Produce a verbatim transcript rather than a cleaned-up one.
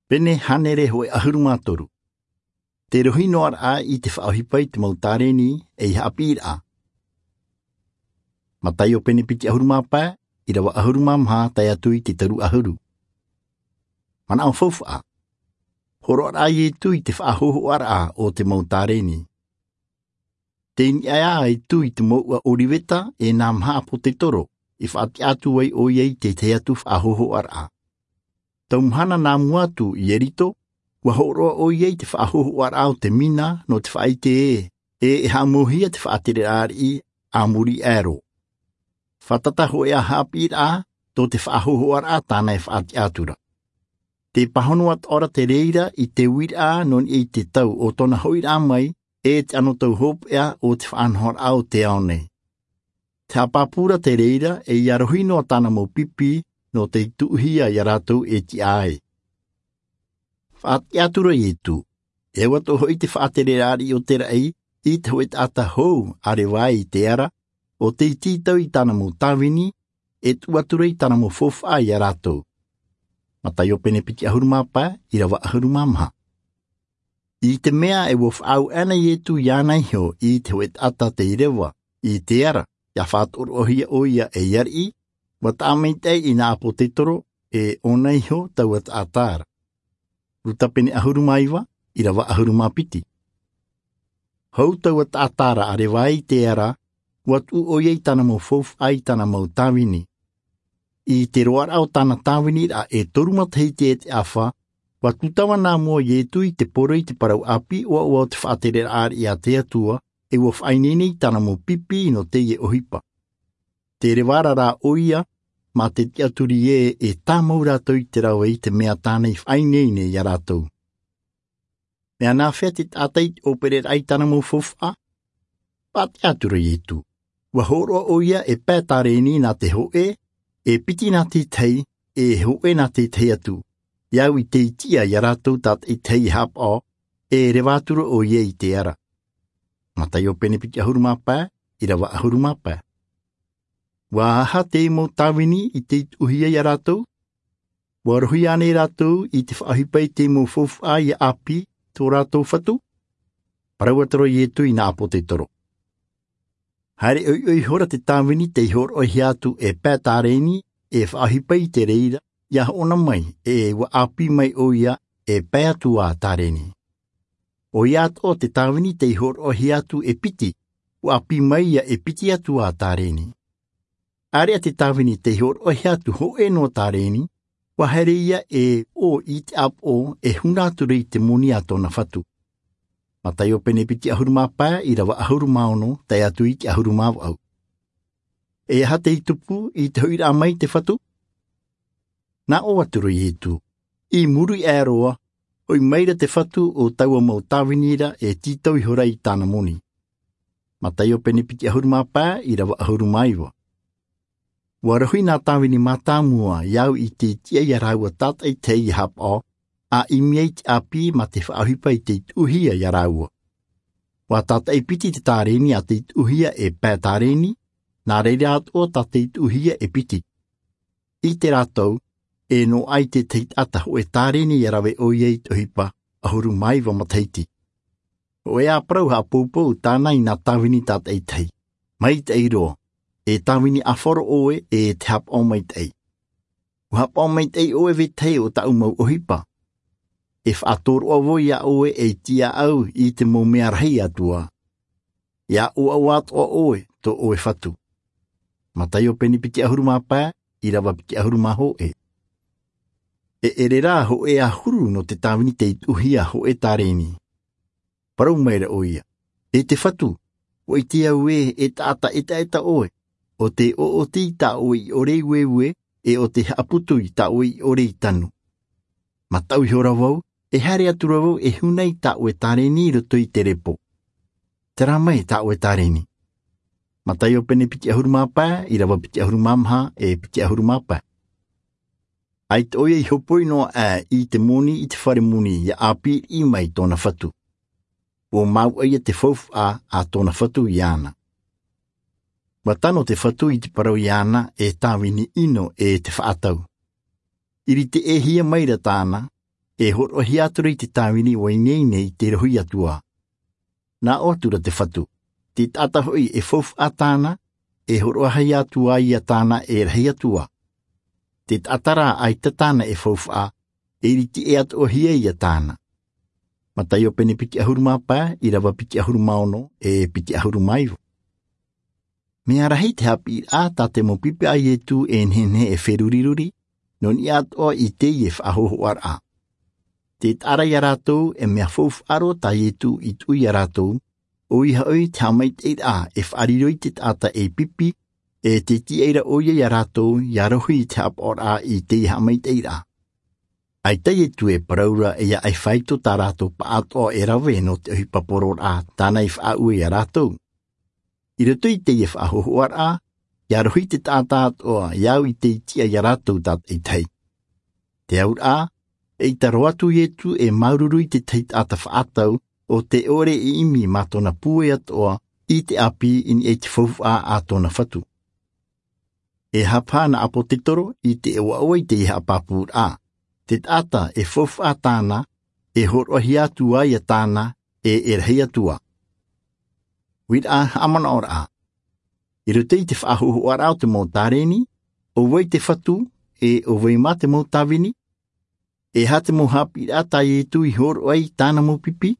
Pene hānere hōʻē ʻahuru mā toru. Te rohi noa raʻa i te faʻaʻohipa i te mau tārēni ei haʻapiʻiraʻa. Mataio pene piti ʻahuru mā pae, ʻīrava ʻahuru mā maha tae atu i te toru ʻahuru. Manaʻo faufaʻa. Hōroʻa raʻa iesu i te faʻahōhoʻaraʻa o te mau tārēni. Tei niʻa ā iesu i te mouʻa ʻōriveta e nā maha ʻāpōsetolo, i faʻatiʻa atu ai ʻoia i te tahi atu faʻahōhoʻaraʻa. Tau mahana nā mua atu i ieriko, ua hōroʻa ʻoia i te faʻahōhoʻaraʻa o te mina nō te faʻaite ē, e e haʻamauhia te faʻatereraʻa ariʻi a muri aʻe roa. Faʻatata hōʻē haʻapiʻiraʻa tō te faʻahōhoʻaraʻa tāna e faʻatiʻa atu ra. Te pāhono atoʻa ra te reira i te uiraʻa nō niʻa i te tau o tōna hoʻiraʻa mai, e te anotau hopeʻa o te faʻanahoraʻa o te ao nei. Te haʻapāpū ra te reira e ia rohi noa tāna mau pipi nō tei tuʻuhia iā rātou e tiʻa ai. Faʻatiʻa atu ra iesu, e ʻua toʻo hoʻi te faʻatereraʻa ariʻi o te raʻi i te hōʻē taʻata hou a revai i te ara, ʻo tei tītau i tāna mau tāvini, e tuʻu atu ra i tāna mau faufaʻa iā rātou. Mataio pene piti ʻahuru mā pae, ʻīrava ʻahuru mā maha. I te mea e ua faʻaau ana iesu iāna iho i te hōʻē taʻata tei reva i te ara, ia faʻatoroʻahia ʻoia ei ariʻi, ua taʻa maitaʻi i nā ʻāpōsetolo e ʻōna iho taua taʻata ra. Luka pene ʻahuru mā iva, ʻīrava ʻahuru mā piti. Hou taua taʻata ra a revai i te ara, ua tuʻu ʻoia i tāna mau faufaʻa i tāna mau tāvini. I te roaraʻa o tāna tāviniraʻa e toru matahiti e te ʻafa, ua tūtava nā mua iesu i te poro i te parau ʻāpī ʻoaʻoa o te faʻatereraʻa ariʻi a te atua, e ua faʻaineine i tāna mau pipi nō teie ʻohipa. Te reva ra rā ʻoia mā te tiʻaturi ē e tāmau rātou i te rave i te mea tāna i faʻaineine iā rātou. Mea nāfea te taʻata i te ʻōpereraʻa i tāna mau faufaʻa? Faʻatiʻa atu ra iesu, ua hōroʻa ʻoia e pae tārēni nā te hōʻē, e piti nā te tahi, e hōʻē nā te tahi atu, ia au i tei tiʻa iā rātou tātaʻitahi e haʻapaʻo, e reva atu ra ʻoia i te ara. Mataio pene piti ʻahuru mā pae, ʻīrava ʻahuru mā pae. Ua aha te mau tāvini i tei tuʻuhia iā rātou? Ua rohi ānei rātou i te faʻaʻohipa i te mau faufaʻa ia ʻāpī tō rātou fatu? Parau atu ra iesu i nā ʻāpōsetolo. Haere ʻoiʻoi ihora te tāvini tei hōroʻahia atu e pae tārēni e faʻaʻohipa i te reira, ia hoʻona mai e ua ʻāpī mai ʻoia e pae atu ā tārēni. ʻOia atoʻa te tāvini tei hōroʻahia atu e piti, ua ʻāpī mai ia e piti atu ā tārēni. ʻĀreʻa te tāvini tei hōroʻahia atu hōʻē noa tārēni, ua haere ia e ʻō i te ʻāpoʻo e huna atu ra i te moni a tōna fatu. Mataio pene piti ʻahuru mā pae, ʻīrava ʻahuru mā ono tae atu i te ʻahuru mā vaʻu. E aha tei tupu i te hoʻiraʻa mai te fatu? Nā ʻō atu ra iesu, i muri aʻe roa, hoʻi mai ra te fatu o taua mau tāvini ra e tītau ihora i tāna moni. Mataio pene piti ʻahuru mā pae, ʻīrava ʻahuru mā iva. Ua rohi nā tāvini mātāmua ia au i tei tiʻa iā rāua tātaʻitahi e haʻapaʻo, a ʻimi ai te ʻāpī mā te faʻaʻohipa i tei tuʻuhia iā rāua. Ua tātaʻi piti te tārēni a tei tuʻuhia e pae tārēni, nā reira atoʻa tā tei tuʻuhia e piti. I te rātou, e noaʻa i te tahi taʻata hōʻē tārēni ia rave ʻoia i te ʻohipa ʻahuru mā iva matahiti. Hōʻē ā parau haʻapoupou tāna i nā tāvini tātaʻitahi. Maitaʻi roa, e tāvini ʻāfaro ʻoe e te haʻapaʻo maitaʻi. Ua haʻapaʻo maitaʻi ʻoe vetahi o tāʻu mau ʻohipa. E faʻatoroʻa vau iā ʻoe ei tiaʻau i te mau mea rahi atu ā. Ia ʻoaʻoa atoʻa ʻoe tō ʻoe fatu. Mataio pene piti ʻahuru mā pae, ʻīrava piti ʻahuru mā hōʻē. E ʻere rā hōʻē ʻahuru nō te tāvini tei tuʻuhia hōʻē tārēni. Parau mai ra ʻoia, e te fatu, ua ʻite au ē e taʻata ʻetaʻeta ʻoe, ʻo tē ʻoʻoti i tā ʻoe ʻiʻore i ueue, e ʻo tē haʻaputu i tā ʻoe ʻiʻore i tanu. Mataʻu ihora vau, e haere atu ra vau e huna i tā ʻoe tārēni i roto i te repo. Terā mai tā ʻoe tārēni. Mataio pene piti ʻahuru mā pae, ʻīrava piti ʻahuru mā maha, e piti ʻahuru mā pae. ʻAita ʻoia i hopoi noa aʻe i te moni i te fare moni ia ʻāpī riʻi mai tōna fatu. Ua māuʻa ia te faufaʻa a tōna fatu iāna. Ua tano te fatu i te parau iāna e tāvini ʻino e te faʻatau. I rite ʻēhia mai ra tāna, E horoʻahia atu ra i te tāvini ua ineine i te rohi atu ā. Nā ʻō atu ra te Fatu, te taʻata hoʻi e faufaʻa tāna, e horoʻahia atu ā ia tāna e rahi atu ā. Te taʻata rā ʻaita tāna e faufaʻa, e ʻiriti ʻē atoʻa hia ia tāna. Mataio pene piti ʻahuru mā pae, ʻīrava piti ʻahuru mā ono, e piti ʻahuru mā iva. Mea rahi te haʻapiʻiraʻa tā te mau pipi a Ietu e nehenehe e feruriruri, nō niʻa atoʻa i teie faʻahōhoʻaraʻa. Te taʻa ra ia rātou e mea faufaʻa roa tā Ietu i tuʻu ia rātou, ʻoia hoʻi te haʻamaitaʻiraʻa e faʻariro i te taʻata e pipi, e te tiʻa ra ʻoia ia rātou ia rohi i te haʻapaʻoraʻa i teie haʻamaitaʻiraʻa. ʻAita Ietu e parau ra e ia ʻai faito tā rātou paʻatoʻa e rave nō te ʻohipa poroʻraʻa tāna i faʻaue ia rātou. I roto i teie faʻahōhoʻaraʻa, ia rohi te taʻata atoʻa ia au i te tiʻa ia rātou tātaʻitahi. Te auraʻa, eʻita roa atu Ietu e māuruuru i te tahi taʻata faʻatau, ʻo tē ʻore e ʻimi mā tōna pūai atoʻa i te ʻāpī i niʻa i te faufaʻa a tōna Fatu. E haʻapaʻo nā ʻāpōsetolo i te ʻoaʻoa i teie haʻapāpūraʻa, te taʻata e faufaʻa tāna, e horoʻahia atu ā ia tāna, e e rahi atu ā. Uiraʻa haʻamanaʻoraʻa. I roto i te faʻahōhoʻaraʻa o te mau tāreni, ʻo vai te Fatu, e ʻo vai mā te mau tāvini? E aha te mau haʻapiʻiraʻa tā Ietu i hōroʻa ai i tāna mau pipi?